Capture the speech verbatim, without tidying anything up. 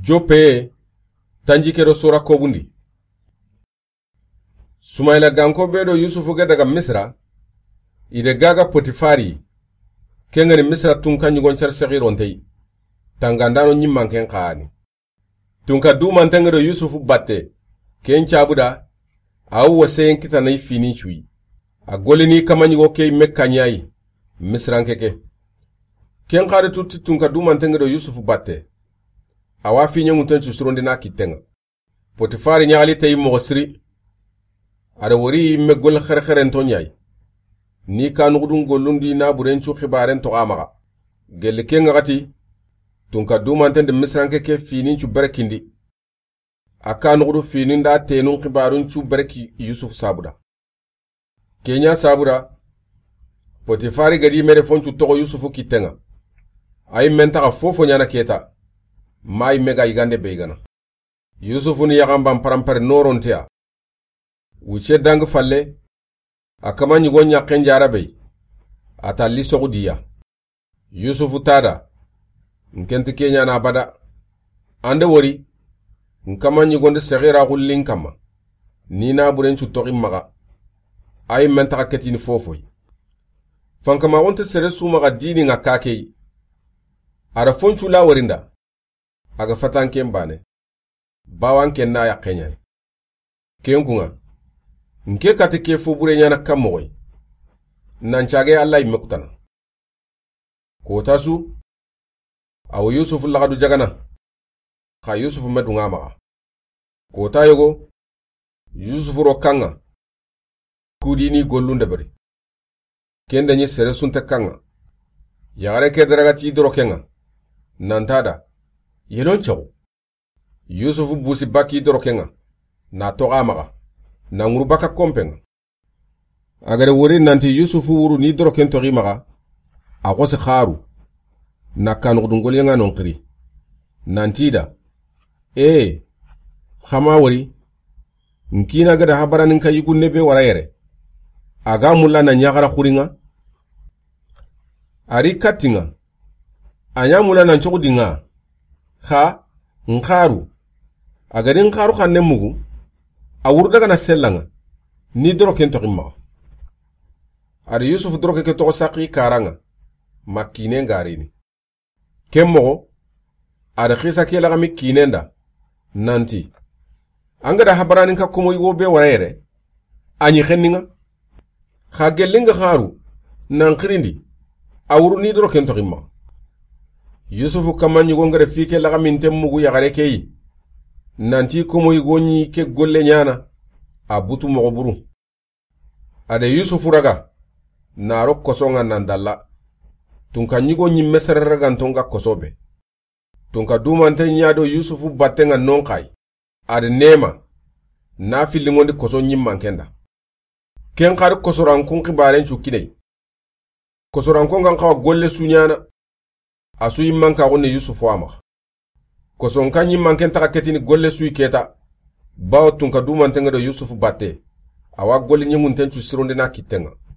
Joppe, tanjikke do sora kobundi. Sumayila ganko be do Yusufu ga daga Misira, i de gaga Potifari, ken ga ni Misira tunka ɲugon cari sexironte yi, tangandano ɲimmanken xa ni. Tunka dumanten ga do Yusufu batte, ken cabuda, a wa waseyen kitana i fini cuyi. A golini kama ɲugo ke i me kaɲayi, Misiranke ke. Ken xa de tuti tunka dumanten ga do Yusufu batte. A wa fi ɲeŋunten cu sirondina kittenŋa. Potifari ɲaxali te yi moxo siri. A da wori yimme gol xerexerento ɲayi. Ni ka nuxudun gollundi na burencu xibaren toxo a maxa. Gelli ke ŋaxati, tunka dumanten de Misiranke ke finin cu berekindi. A ka nuxudu finin da tenun xibarun cu bereki Yusufu sabuda. Ke ɲa sabuda, Potifari ga di mere foncu toxo Yusufu kittenŋa. A yi men taxa fofo ɲana keta. Ma yi me ga yigande be yigana. Yusufu ni yaxanban parampare noronteya. Wuce dangi falle, a kama ɲugo ɲaxen jarabey, a talli soxu diya. Yusufu tada, n kenti ke ɲana abada. Ande wori, n kama ɲugondi sexira xullin kamma, ni na burencu toxi maxa. A yi men taxa ketini fofoyi. Fankamaxunte sere su maxa dini ŋa kakeyi. A da foncu la warinda. A ga fatan ken bane. Bawan ken na yaqqe ɲani. Ken kunŋa, n ke kati ke fo bure ɲana kan moxoy. Nan cage Alla yimme kutana. Kota su, a wo Yusufu laxadu jagana. Xa Yusufu me dunŋa maxa. Kota yogo, Yusufu ro kanŋa. Kudini gollun deberi. Ken da ɲi sere sunte kanŋa. Yaxare ke daragati dorokenŋa. Nanta da, yelon caxu. Yusufu busi baki dorokenŋa. Na toxa maxa. Na ŋuru baka kompenŋa. A gare wori nanti Yusufu wuru ni doroken toxi maxa. A xosi xaru. Na kanuxudun goliyenŋa non xiri. Nanti da, ee, xama wori. N kina gada habaranin ka yigunne be wara yere. A ga mulla na ɲaxara xurinŋa. A ri kattinŋa. A ɲa mulla na n coxudinŋa. Xa, n xaru. A gadi n xaru xanne mugu. A wuru daga na sellanŋa. Ni doroken toxi maxa. A da Yusufu doroke ke toxo saqi karanŋa. Ma kinen garini. Ken moxo, a da xisa ke laxami kinen da, nanti, an gada habaranin ka komo yigo be wara yere. A ɲi xenninŋa. Xa gellinŋa xaru, nan xirindi. A wuru ni doroken toxi maxa. Yusufu kama ɲugo n gada fi ke laxaminten mugu yaxare ke yi. Nanti komo yigo ɲi ke golle ɲana. A butu moxo buru. A da Yusufu raga, na ro kosonŋa nan dalla. Tunka ɲugo ɲimme sere ragantonŋa koso be. Tunka dumante ɲa do Yusufu battenŋa non xayi. A da nema, na fillinŋondi koso ɲimmanken da. Ken xari kosorankun xibaren cu kiney. Kosorankon gan xawa golle su ɲana. A su yimmankaxunni Yusufu wa maxa. Kosonka ɲimmanken taxa ketini golle suyi keta. Bawo tunka dumantenŋa do Yusufu batte. A wa golli ɲiŋunten cu sirondina kittenŋa.